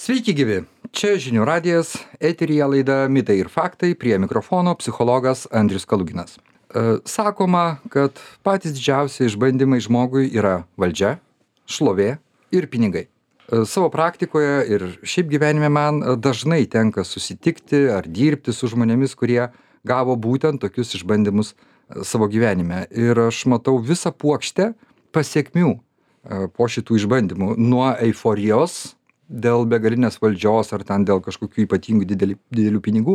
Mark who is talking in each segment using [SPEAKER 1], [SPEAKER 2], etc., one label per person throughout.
[SPEAKER 1] Sveiki gyvi, čia žinių radijas, eteryje laida Mitai ir faktai, prie mikrofono psichologas Andrius Kaluginas. Sakoma, kad patys didžiausi išbandymai žmogui yra valdžia, šlovė ir pinigai. Savo praktikoje ir šiaip gyvenime man dažnai tenka susitikti ar dirbti su žmonėmis, kurie gavo būtent tokius išbandymus savo gyvenime. Ir aš matau visą puokštę pasiekmių po šitų išbandymų. Nuo euforijos dėl begalinės valdžios ar ten dėl kažkokių ypatingų didelių pinigų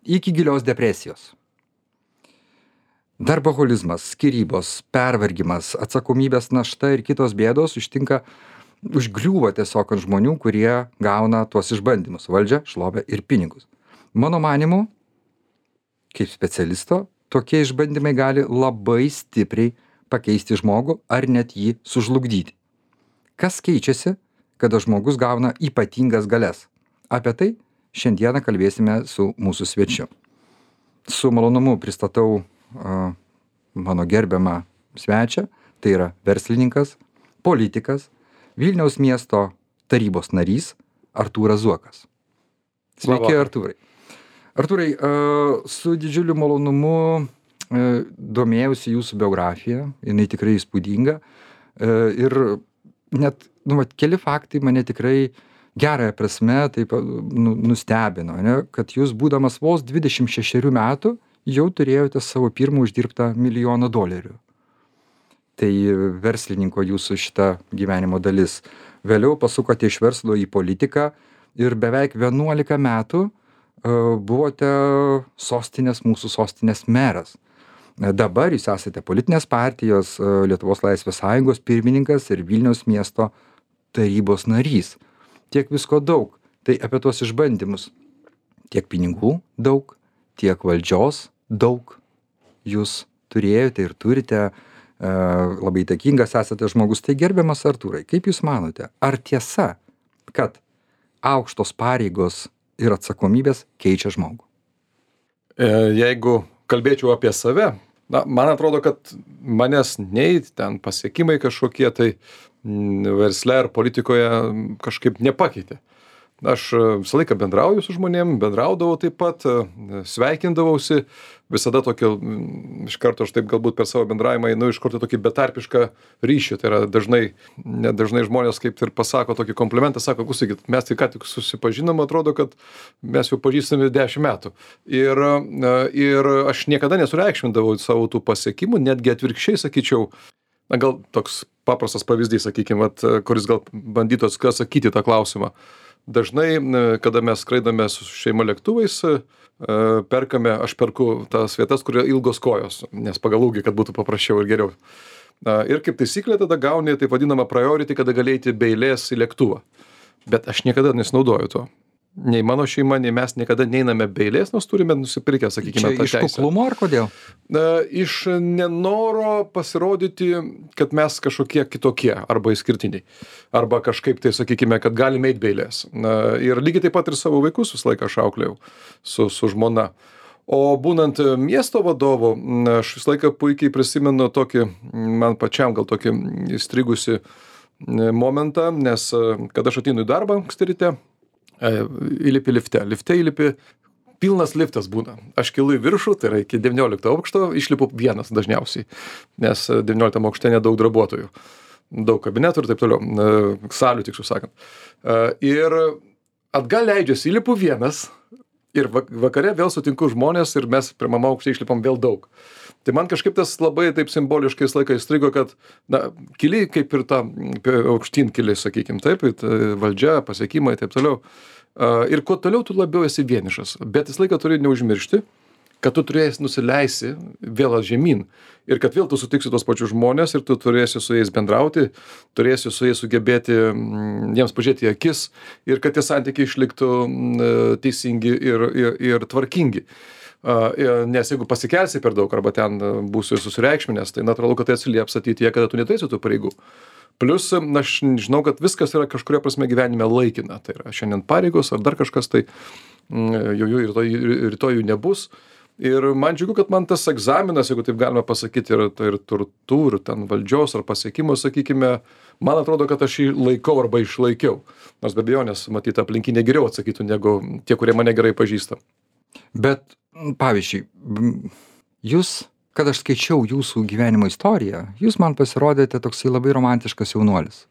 [SPEAKER 1] iki gilios depresijos. Darboholizmas, skyrybos, pervargimas, atsakomybės našta ir kitos bėdos užgriūva tiesiog ant žmonių, kurie gauna tuos išbandymus - valdžią, šlovę ir pinigus. Mano manimu, kaip specialisto, tokie išbandymai gali labai stipriai pakeisti žmogų ar net jį sužlugdyti. Kas keičiasi, kada žmogus gauna ypatingas galias? Apie tai šiandieną kalbėsime su mūsų svečiu. Su malonumu pristatau mano gerbiamą svečią, tai yra verslininkas, politikas, Vilniaus miesto tarybos narys Artūras Zuokas. Sveiki, Artūrai. Artūrai, su didžiuliu malonumu domėjausi jūsų biografiją, jinai tikrai įspūdinga ir net keli faktai mane tikrai gerąją prasme taip nustebino, kad jūs būdamas vos 26 metų jau turėjote savo pirmą uždirbtą $1 000 000. Tai verslininko jūsų šita gyvenimo dalis. Vėliau pasukote iš verslo į politiką ir beveik 11 metų buvote mūsų sostinės meras. Dabar jūs esate politinės partijos Lietuvos Laisvės Sąjungos pirmininkas ir Vilniaus miesto tarybos narys. Tiek visko daug. Tai apie tuos išbandymus. Tiek pinigų daug, tiek valdžios daug jūs turėjote ir turite. Labai įtakingas esate žmogus. Tai gerbiamas Artūrai, kaip jūs manote, ar tiesa, kad aukštos pareigos ir atsakomybės keičia žmogų?
[SPEAKER 2] Jeigu kalbėčiau apie save, man atrodo, kad manęs nei ten pasiekimai kažkokie tai versle ar politikoje kažkaip nepakeitė. Aš visą laiką bendrauju su žmonėm, bendraudavau taip pat, sveikindavausi, visada tokio, iš karto aš taip galbūt per savo bendravimą einu iš karto tokį betarpišką ryšį. Tai yra dažnai žmonės kaip ir pasako tokį komplimentą, sako, klausykit, mes tai ką tik susipažinom, atrodo, kad mes jau pažįstami 10 metų. Ir aš niekada nesureikšmindavau savo tų pasiekimų, netgi atvirkščiai sakyčiau, gal toks paprastas pavyzdys, sakykime, kuris gal bandytų atsakyti tą klausimą. Dažnai, kada mes skraidame su šeima lėktuvais, aš perku tas vietas, kur yra ilgos kojos, nes pagal ūgį, kad būtų paprasčiau ir geriau. Ir kaip taisyklė tada gauni taip vadinamą priority, kada gali eiti be eilės į lėktuvą. Bet aš niekada nesinaudoju to. Nei mano šeima, nei mes niekada neiname be eilės, nors turime nusipirkę, sakykime, tą teisę.
[SPEAKER 1] Čia iš kuklumo ar kodėl?
[SPEAKER 2] Iš nenoro pasirodyti, kad mes kažkokie kitokie arba išskirtiniai. Arba kažkaip tai, sakykime, kad galime eiti be eilės. Ir lygiai taip pat ir savo vaikus visą laiką aš auklėjau su žmona. O būnant miesto vadovu, aš visą laiką puikiai prisimenu tokį, man pačiam gal tokį įstrigusi momentą, nes kad aš ateinu į darbą anksti ryte, įlipi lifte įlipi, pilnas liftas būna. Aš kilu į viršų, tai yra iki 19 aukšto, išlipu vienas dažniausiai, nes 19 aukšte nedaug darbuotojų, daug kabinetų ir taip toliau, salių tiksliau sakant. Ir atgal leidžiasi, įlipu vienas ir vakare vėl sutinku žmonės ir mes pirmame aukšte išlipam vėl daug. Tai man kažkaip tas labai taip simboliškai laiką įstrigo, kad kili kaip ir ta aukštyn kili, sakykime, taip, valdžia, pasiekimai ir taip toliau. Ir kuo toliau, tu labiau esi vienišas. Bet vis laiką turi neužmiršti, kad tu turėsi nusileisi vėl žemyn. Ir kad vėl tu sutiksi tos pačius žmonės ir tu turėsi su jais bendrauti, turėsi su jais sugebėti jiems pažiūrėti į akis ir kad tie santykiai išliktų teisingi ir tvarkingi. Nes jeigu pasikelsi per daug arba ten būsi susireikšminęs, tai natūralu, kad tai atsilieps ateityje, kada tu neturėsi tų pareigų. Plius, aš žinau, kad viskas yra kažkuria prasme gyvenime laikina. Tai yra šiandien pareigos ar dar kažkas, tai rytoj jų nebus. Ir man džiugu, kad man tas egzaminas, jeigu taip galima pasakyti, ir turtų, ir ten valdžios ar pasiekimų, sakykime, man atrodo, kad aš jį laikau arba išlaikiau. Nors be abejonės, matyt, aplinkiniai geriau atsakytų negu tie, kurie mane gerai pažįsta.
[SPEAKER 1] Bet, pavyzdžiui, jūs, kad aš skaičiau jūsų gyvenimo istoriją, jūs man pasirodėte toksai labai romantiškas jaunuolis.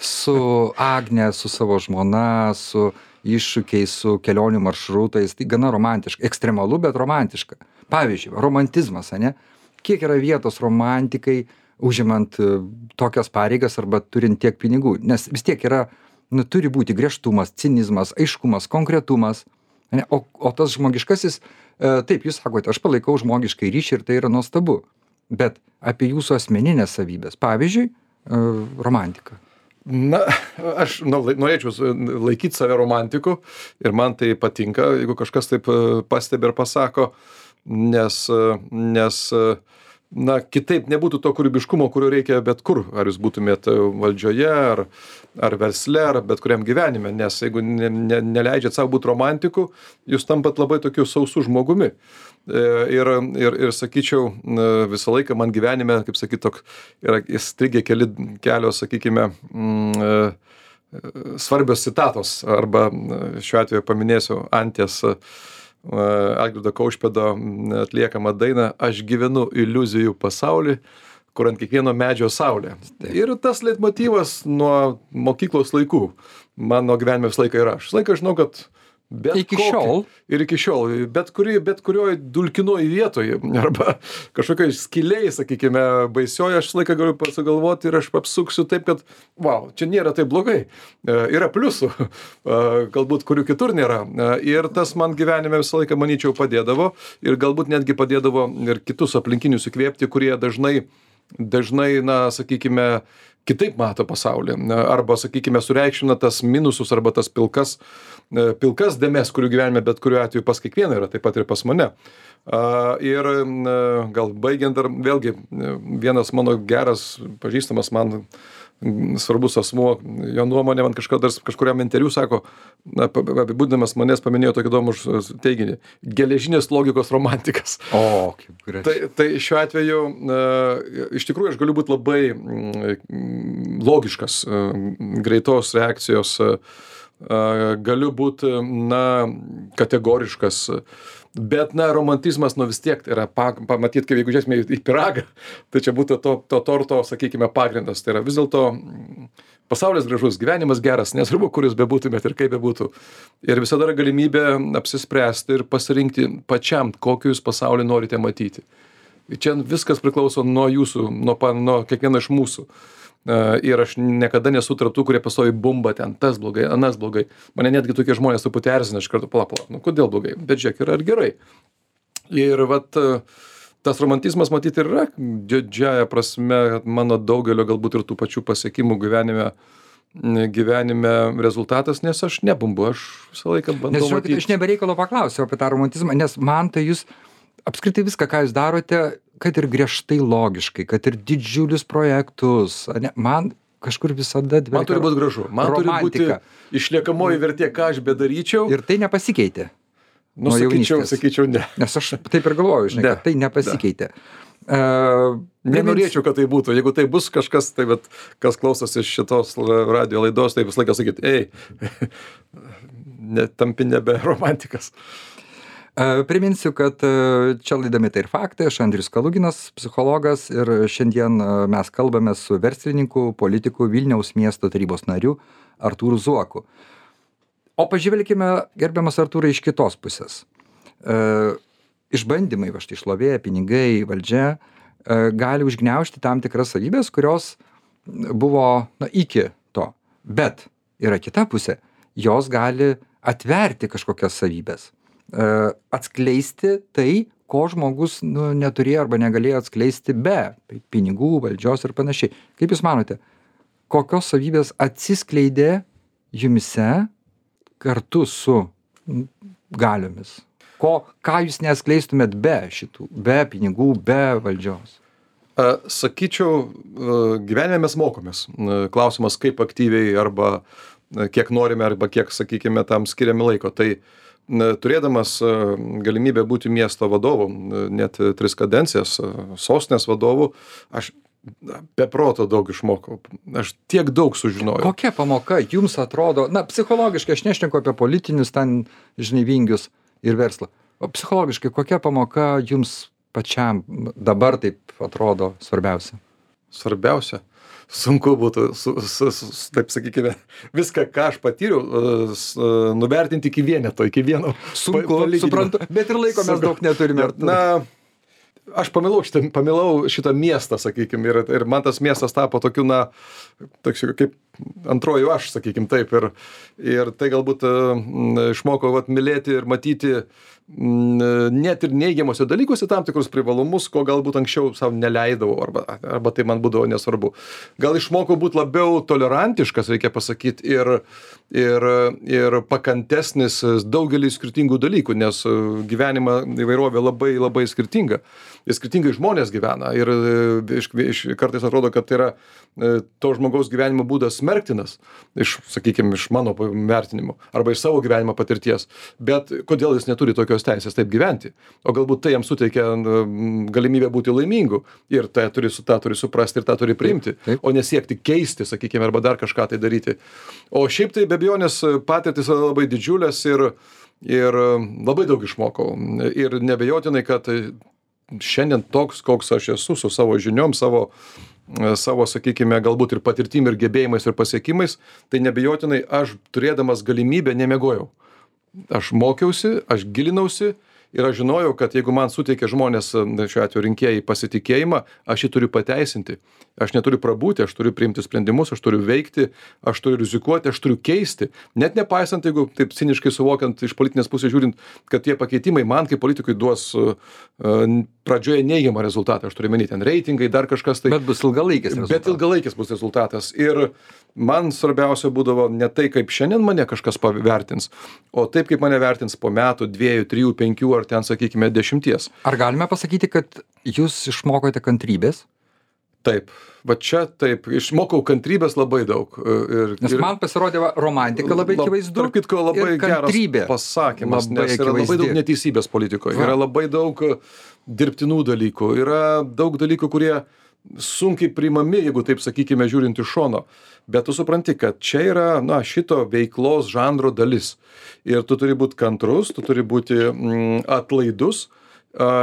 [SPEAKER 1] Su Agne, su savo žmona, su iššūkiais, su kelionių maršrutais, tai gana romantiška, ekstremalu, bet romantiška. Pavyzdžiui, romantizmas, ane? Kiek yra vietos romantikai, užimant tokias pareigas arba turint tiek pinigų? Nes vis tiek yra, turi būti griežtumas, cinizmas, aiškumas, konkretumas. Ane? O tas žmogiškasis, taip, jūs sakote, aš palaikau žmogiškai ryšį ir tai yra nuostabu. Bet apie jūsų asmeninės savybės, pavyzdžiui, romantika.
[SPEAKER 2] Na, aš norėčiau laikyti save romantiku ir man tai patinka, jeigu kažkas taip pastebi ir pasako, nes na, kitaip nebūtų to kūrybiškumo, kurio reikia bet kur, ar jūs būtumėt valdžioje, ar versle, ar bet kuriam gyvenime, nes jeigu neleidžiat savo būti romantiku, jūs tampat labai tokiu sausu žmogumi. Ir sakyčiau, visą laiką man gyvenime, kaip sakyt, yra įstrigę kelios, sakykime, svarbios citatos, arba šiuo atveju paminėsiu Antės Algirdo Kaušpėdo atliekamą dainą "Aš gyvenu iliuzijų pasaulį, kur ant kiekvieno medžio saulė". Ir tas leitmotyvas nuo mokyklos laikų mano gyvenime visą laiką yra. Aš visą laiką žinau, kad
[SPEAKER 1] iki šiol,
[SPEAKER 2] bet kurioj dulkinoj vietoje arba kažkokioj skylėj, sakykime, baisioje, aš visą laiką galiu pasigalvoti ir aš apsuksiu taip, kad wow, čia nėra taip blogai. Yra pliusų, galbūt kurių kitur nėra. Ir tas man gyvenime visą laiką, manyčiau, padėdavo ir galbūt netgi padėdavo ir kitus aplinkinius įkvėpti, kurie dažnai, na, sakykime, kitaip mato pasaulį, arba, sakykime, sureikšmina tas minusus arba tas pilkas dėmes, kurių gyvenime bet kuriuo atveju pas kiekvieną yra, taip pat ir pas mane. Ir gal baigiant dar vėlgi vienas mano geras pažįstamas man svarbus asmuo, jo nuomonė man kažkuriam interviu sako, apibūdinamas manęs paminėjo tokį įdomų teiginį: geležinės logikos romantikas.
[SPEAKER 1] O, kaip gražiai.
[SPEAKER 2] Tai šiuo atveju iš tikrųjų aš galiu būti labai logiškas, greitos reakcijos, galiu būti, na, kategoriškas, bet, na, romantizmas, nu, vis tiek yra pamatyt, kaip jeigu žiūrėsime į pyragą, tai čia būtų to torto, sakykime, pagrindas. Tai yra vis dėlto pasaulis gražus, gyvenimas geras, nesvarbu, kur jūs bebūtumėt ir kaip bebūtų. Ir visada yra galimybė apsispręsti ir pasirinkti pačiam, kokį jūs pasaulį norite matyti. Čia viskas priklauso nuo jūsų, nuo kiekvieno iš mūsų. Ir aš niekada nesu tarp tų, kurie pastoviai bumba ten, tas blogai, anas blogai. Mane netgi tokie žmonės truputį erzina iš karto, pala, nu kodėl blogai, bet žiūrėk, yra ir gerai. Ir vat tas romantizmas matyti ir yra didžiąja prasme mano daugelio galbūt ir tų pačių pasiekimų gyvenime rezultatas, nes aš nebumbu, aš visą laiką bandau matyti.
[SPEAKER 1] Nes aš nebereikalo paklausiau apie tą romantizmą, nes man tai jūs apskritai viską, ką jūs darote, kad ir griežtai logiškai, kad ir didžiulius projektus, man kažkur visada dvelkia.
[SPEAKER 2] Man turi būti gražu, man
[SPEAKER 1] romantika.
[SPEAKER 2] Turi būti išliekamoji vertė, ką aš bedaryčiau.
[SPEAKER 1] Ir tai nepasikeitė.
[SPEAKER 2] Nu, sakyčiau, ne.
[SPEAKER 1] Nes aš taip ir galvoju, žinai, kad tai nepasikeitė.
[SPEAKER 2] Nenorėčiau, kad tai būtų. Jeigu tai bus kažkas, tai bet kas klausosi šitos radio laidos, tai visą laiką sakyt, tampi nebe romantikas.
[SPEAKER 1] Priminsiu, kad čia laida Mitai ir faktai, aš Andrius Kaluginas, psichologas, ir šiandien mes kalbame su verslininku, politiku, Vilniaus miesto tarybos nariu Artūru Zuoku. O pažvelkime, gerbiamas Artūrai, iš kitos pusės. Išbandymai, va štai šlovė, pinigai, valdžia gali užgniaužti tam tikras savybės, kurios buvo iki to. Bet yra kita pusė, jos gali atverti kažkokias savybės. Atskleisti tai, ko žmogus neturėjo arba negalėjo atskleisti be pinigų, valdžios ir panašiai. Kaip jūs manote, kokios savybės atsiskleidė jumise kartu su galiomis? Ką jūs neatskleistumėt be šitų, be pinigų, be valdžios?
[SPEAKER 2] Sakyčiau, gyvenime mes mokomės. Klausimas, kaip aktyviai arba kiek norime, arba kiek, sakykime, tam skiriame laiko. Tai turėdamas galimybę būti miesto vadovu, net 3 kadencijas, sostinės vadovu, aš be proto daug išmokau. Aš tiek daug sužinojau.
[SPEAKER 1] Kokia pamoka jums atrodo, na, psichologiškai, aš nešneku apie politinius ten, žinai, vingius ir verslą, o psichologiškai, kokia pamoka jums pačiam dabar taip atrodo svarbiausia?
[SPEAKER 2] Svarbiausia, sunku būtų, taip sakykime, viską, ką aš patyriau, nuvertinti iki vieneto, iki vieno.
[SPEAKER 1] Sunku, suprantu, bet ir laiko mes daug neturime.
[SPEAKER 2] Na, aš pamilau šitą miestą, sakykime, ir man tas miestas tapo tokiu, na, toks kaip antroju aš, sakykime, taip. Ir tai galbūt išmokau mylėti ir matyti net ir neigiamuose dalykuose tam tikrus privalumus, ko galbūt anksčiau savo neleidavau, arba tai man būdavo nesvarbu. Gal išmokau būti labiau tolerantiškas, reikia pasakyti, ir pakantesnis daugelį skirtingų dalykų, nes gyvenimo įvairovė labai, labai skirtinga. Ir skirtingai žmonės gyvena. Ir kartais atrodo, kad tai yra to žmogaus gyvenimo būdas smerktinas, sakykime, iš mano vertinimo, arba iš savo gyvenimo patirties. Bet kodėl jis neturi tokios teisės taip gyventi? O galbūt tai jam suteikia galimybę būti laimingu. Ir tą turi suprasti ir tą turi priimti. Taip. O nesiekti keisti, sakykime, arba dar kažką tai daryti. O šiaip tai be abejonės patirtis yra labai didžiulės ir labai daug išmokau. Ir neabejotinai, kad šiandien toks, koks aš esu, su savo žiniom, savo, sakykime, galbūt ir patirtim, ir gebėjimais, ir pasiekimais, tai neabejotinai aš turėdamas galimybę nemiegojau. Aš mokiausi, aš gilinausi ir aš žinojau, kad jeigu man suteikia žmonės, šiuo atveju rinkėjai, pasitikėjimą, aš jį turiu pateisinti. Aš neturiu prabūti, aš turiu priimti sprendimus, aš turiu veikti, aš turiu rizikuoti, aš turiu keisti. Net nepaisant, jeigu taip ciniškai suvokiant iš politinės pusės žiūrint, kad tie pakeitimai man kaip politikui duos pradžioje neigiamą rezultatą. Aš turiu menyti, ten reitingai, dar kažkas tai.
[SPEAKER 1] Bet bus ilgalaikis rezultatas.
[SPEAKER 2] Bet ilgalaikis bus rezultatas. Ir man svarbiausia būdavo ne tai, kaip šiandien mane kažkas pavertins, o taip, kaip mane vertins po metų, 2, 3, 5 ar ten, sakykime, 10.
[SPEAKER 1] Ar galime pasakyti, kad jūs išmokote kantrybės?
[SPEAKER 2] Taip, va čia taip, išmokau kantrybės labai daug.
[SPEAKER 1] Nes man pasirodė romantika labai akivaizdu.
[SPEAKER 2] Tarp kitko, labai geras pasakymas, nes yra labai daug neteisybės politikoje, yra labai daug dirbtinų dalykų, yra daug dalykų, kurie sunkiai priimami, jeigu taip sakykime, žiūrint iš šono. Bet tu supranti, kad čia yra, na, šito veiklos žanro dalis. Ir tu turi būti kantrus, tu turi būti atlaidus.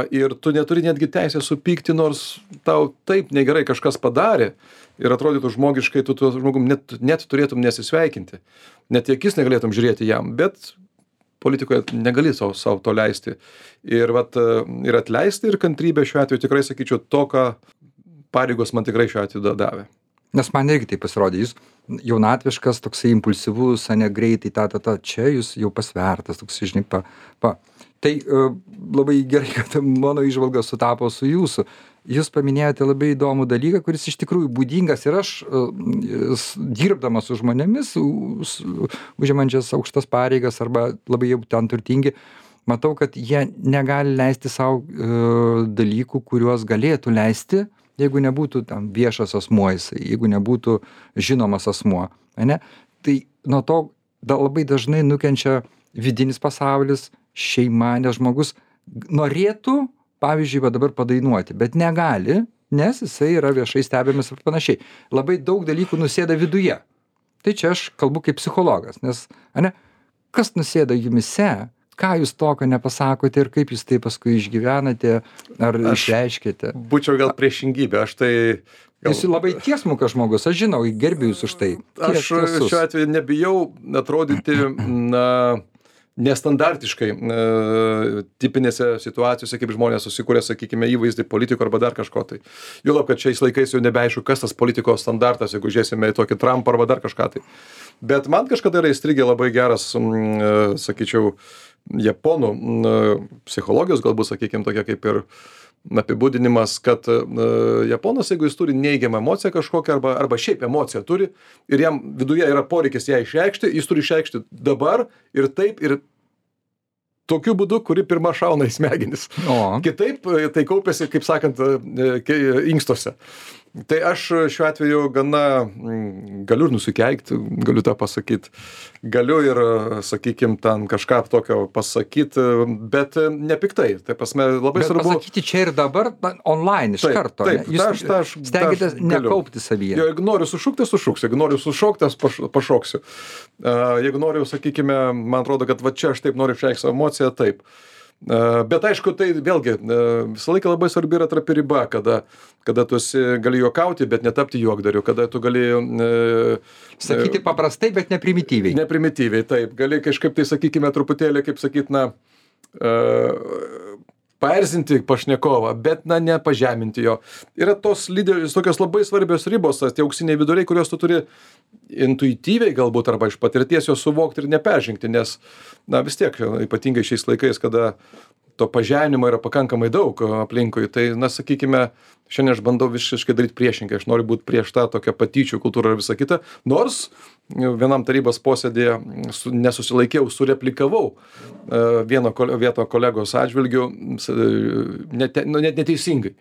[SPEAKER 2] Ir tu neturi netgi teisę supykti, nors tau taip negerai kažkas padarė ir atrodytų žmogiškai, tu tuo žmogum net turėtum nesisveikinti. Net į akis negalėtum žiūrėti jam, bet politikoje negali savo to leisti. Ir atleisti ir kantrybę šiuo atveju tikrai sakyčiau to, ką pareigos man tikrai šiuo atveju davė.
[SPEAKER 1] Nes man irgi tai pasirodė, jūs jaunatviškas, toksai impulsyvus, greitai, čia jūs jau pasvertas, toksai, žinai, Tai labai gerai, kad mano įžvalga sutapo su jūsų. Jūs paminėjote labai įdomų dalyką, kuris iš tikrųjų būdingas ir aš, dirbdamas su žmonėmis, užimančias aukštas pareigas arba labai jau ten turtingi, matau, kad jie negali leisti savo dalykų, kuriuos galėtų leisti, jeigu nebūtų tam viešas asmuo, jeigu nebūtų žinomas asmuo. Ne? Tai nuo to labai dažnai nukenčia vidinis pasaulis, šeima, nes žmogus norėtų, pavyzdžiui, dabar padainuoti, bet negali, nes jisai yra viešai stebimas ir panašiai. Labai daug dalykų nusėda viduje. Tai čia aš kalbu kaip psichologas, nes, kas nusėda jumise, ką jūs tokio nepasakote ir kaip jūs tai paskui išgyvenate ar išreiškite?
[SPEAKER 2] Būčiau gal priešingybė, aš tai...
[SPEAKER 1] Jūs labai tiesmukas žmogus, aš žinau, gerbiu jūs už tai.
[SPEAKER 2] Aš šiuo atveju nebijau atrodyti, nestandartiškai tipinėse situacijose, kaip žmonės susikūrė, sakykime, įvaizdį politiko arba dar kažko tai. Juolab, kad šiais laikais jau nebeaišku, kas tas politikos standartas, jeigu žiūrėsime į tokį Trumpą arba dar kažką tai. Bet man kažkada yra įstrigę labai geras, sakyčiau, japonų psichologijos, galbūt, sakykime, tokia kaip ir apibūdinimas, kad japonas, jeigu jis turi neigiamą emociją kažkokią arba šiaip emociją turi ir jam viduje yra poreikis ją išreikšti, jis turi išreikšti dabar ir taip ir tokiu būdu, kuri pirma šauna į smegenis. Kitaip tai kaupiasi, kaip sakant, inkstuose. Tai aš šiuo atveju gana galiu ir nusikeikt, galiu tą pasakyt. Galiu ir, sakykim, ten kažką tokio pasakyt, bet nepiktai. Tai prasme, labai
[SPEAKER 1] Bet
[SPEAKER 2] svarbu.
[SPEAKER 1] pasakyti čia ir dabar online iš karto.
[SPEAKER 2] Taip,
[SPEAKER 1] ne? Jūs stengiatės nekaupti savyje.
[SPEAKER 2] Jeigu noriu sušukti, sušuksiu. Jeigu noriu sušokti, pašoksiu. Jeigu noriu, sakykime, man atrodo, kad va čia aš taip noriu išreikšti savo emociją, taip. Bet aišku, tai vėlgi visą laiką labai svarbi yra trapi riba, kada tu gali juokauti, bet netapti juokdariu, kada tu gali
[SPEAKER 1] Sakyti paprastai, bet neprimityviai.
[SPEAKER 2] neprimityviai, taip, gali kažkaip tai, sakykime, truputėlį, kaip sakyt, na, paerzinti pašnekovą, bet, na, nepažeminti jo. Yra tos tokios labai svarbios ribos, tie auksiniai viduriai, kuriuos tu turi intuityviai galbūt arba iš patirties jos suvokti ir neperžengti, nes, na, vis tiek, ypatingai šiais laikais, kada to pažeminimo yra pakankamai daug aplinkui, tai, na, sakykime, šiandien aš bandau visiškai daryti priešingai, aš noriu būti prieš tą tokią patyčių kultūrą ir visą kitą, nors vienam tarybos posėdėje nesusilaikiau, sureplikavau vieno kolegos atžvilgiu net neteisingai.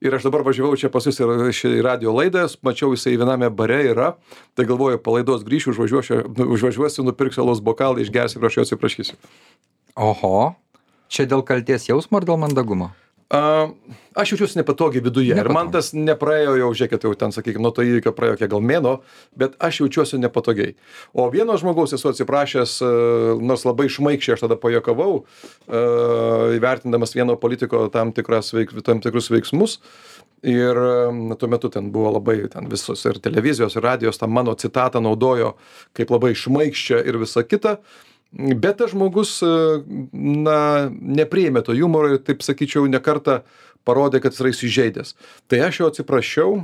[SPEAKER 2] Ir aš dabar važiavau čia pas jūs į radio laidą, mačiau jisai viename bare yra, tai galvoju, palaidos grįšiu, užvažiuosiu, nupirksiu alaus bokalą, išgersiu ir aš jo atsiprašysiu.
[SPEAKER 1] Oho, čia dėl kalties jausmo ar dėl mandagumo?
[SPEAKER 2] Aš jaučiuosi nepatogiai viduje. Ir man tas nepraėjo jau, žiūrėkit, jau ten, sakykime, nuo to įvykio praėjo kiek gal mėno, bet aš jaučiuosi nepatogiai. O vieno žmogaus esu atsiprašęs, nors labai šmaikščiai aš tada pajuokavau, įvertindamas vieno politiko tam tikrus veiksmus. Ir tuo metu ten buvo labai, ten visos ir televizijos, ir radijos, tą mano citatą naudojo kaip labai šmaikščią ir visą kitą. Bet tas žmogus, na, nepriėmė to humoro ir, taip sakyčiau, nekartą parodė, kad jis yra įsižeidęs. Tai aš jo atsiprašiau,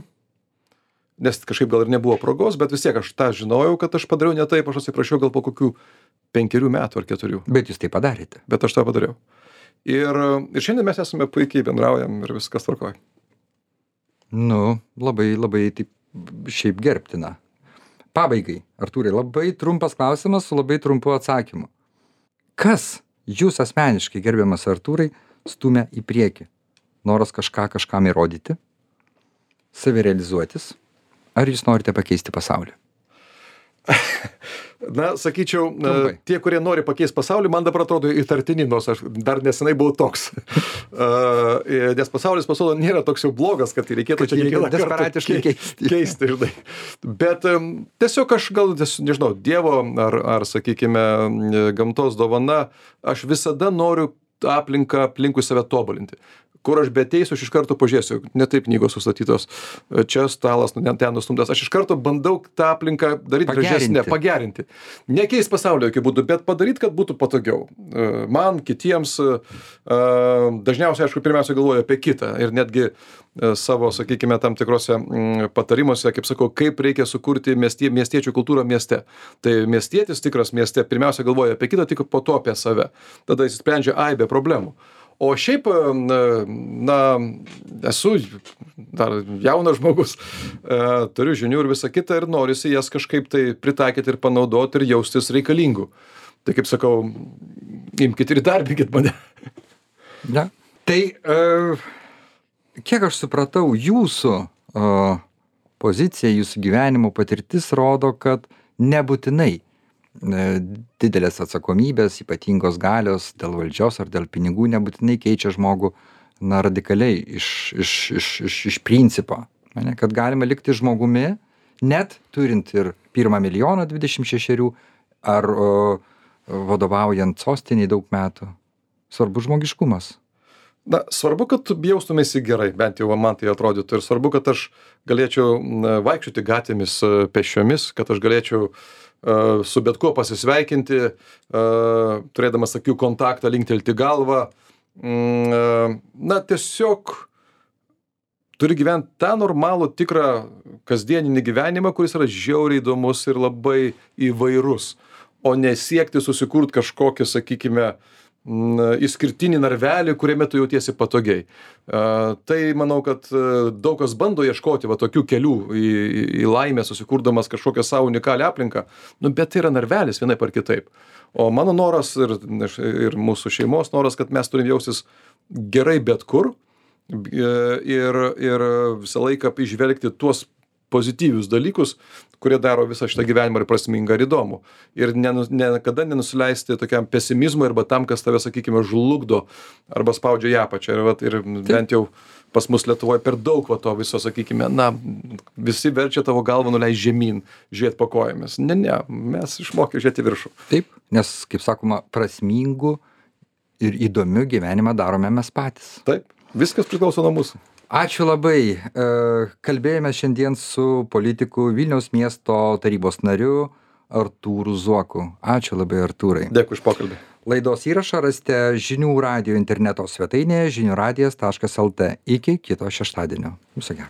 [SPEAKER 2] nes kažkaip gal ir nebuvo progos, bet vis tiek aš tą žinojau, kad aš padariau ne taip, aš atsiprašiau gal po kokių 5 metų ar 4.
[SPEAKER 1] Bet jūs tai padarėte.
[SPEAKER 2] Bet aš tą padariau. Ir šiandien mes esame puikiai bendraujam ir viskas tvarkoj.
[SPEAKER 1] Nu, labai, labai taip šiaip gerbtina. Pabaigai, Artūrai, labai trumpas klausimas su labai trumpu atsakymu. Kas jūs asmeniškai, gerbiamas Artūrai, stumia į priekį? Noras kažkam įrodyti? Savirealizuotis? Ar jūs norite pakeisti pasaulį?
[SPEAKER 2] Na, sakyčiau, tie, kurie nori pakeisti pasaulį, man dabar atrodo įtartini, nors aš dar nesenai buvau toks. Nes pasaulis pasirodo nėra toks jau blogas, kad reikėtų čia kiekvieną
[SPEAKER 1] desperatiškai
[SPEAKER 2] keisti. Žinai. Bet tiesiog aš gal, nežinau, Dievo ar sakykime, gamtos dovana, aš visada noriu aplinką aplinkui save tobulinti. Kur aš beteisiu, aš iš karto pažiūrėsiu, ne taip knygos sustatytos, čia stalas, ten nustumtas, aš iš karto bandau tą aplinką daryti gražesnę, pagerinti. Nekeis pasaulio jokių būdų, bet padaryti, kad būtų patogiau. Man, kitiems, dažniausiai, aišku, pirmiausia galvoju apie kitą ir netgi savo, sakykime, tam tikrose patarimuose, kaip sakau, kaip reikia sukurti miestiečių kultūrą mieste. Tai miestietis tikras mieste pirmiausia galvoja apie kitą, tik po to apie save. Tada jis sprendžia aibę problemų. O šiaip, na, esu dar jaunas žmogus, turiu žinių ir visą kitą ir norisi jas kažkaip tai pritaikyti ir panaudoti ir jaustis reikalingų. Tai kaip sakau, imkite ir darbinkit mane.
[SPEAKER 1] Ja. Tai, kiek aš supratau, jūsų pozicija, jūsų gyvenimo patirtis rodo, kad nebūtinai didelės atsakomybės, ypatingos galios dėl valdžios ar dėl pinigų nebūtinai keičia žmogų na, radikaliai iš principo. Kad galima likti žmogumi, net turint ir 1 milijoną 26 ar vadovaujant sostiniai daug metų. Svarbu žmogiškumas.
[SPEAKER 2] Na, svarbu, kad tu jaustumėsi gerai, bent jau man tai atrodytų. Ir svarbu, kad aš galėčiau vaikščioti gatvėmis pėsčiomis, kad aš galėčiau su bet kuo pasisveikinti, turėdamas akių kontaktą, linktelti galvą. Na, tiesiog turi gyventi tą normalų, tikrą kasdieninį gyvenimą, kuris yra žiauriai įdomus ir labai įvairus, o nesiekti susikurti kažkokį, sakykime, išskirtinį narvelį, kuriame tu jautiesi patogiai. Tai manau, kad daug kas bando ieškoti va tokių kelių į laimę, susikurdamas kažkokią savo unikalią aplinką, bet tai yra narvelis vienaip ar kitaip. O mano noras ir mūsų šeimos noras, kad mes turim jaustis gerai bet kur, Ir visą laiką įžvelgti tuos pozityvius dalykus, kurie daro visą šitą gyvenimą ir prasmingą ir įdomų. Ir niekada nenusileisti tokiam pesimizmui arba tam, kas tave, sakykime, žlugdo arba spaudžia į apačią. Ir bent jau pas mus Lietuvoje per daug to viso, sakykime, visi verčia tavo galvą nuleisti žemyn, žiūrėti po kojomis. Ne, mes išmokė žiūrėti viršų.
[SPEAKER 1] Taip, nes, kaip sakoma, prasmingų ir įdomių gyvenimą darome mes patys.
[SPEAKER 2] Taip, viskas priklauso nuo mūsų.
[SPEAKER 1] Ačiū labai. Kalbėjome šiandien su politiku Vilniaus miesto tarybos nariu Artūru Zuoku. Ačiū labai, Artūrai.
[SPEAKER 2] Dėkui už pokalbį.
[SPEAKER 1] Laidos įrašą rasite žinių radijo interneto svetainėje žiniųradijas.lt. Iki kito šeštadienio. Viso gero.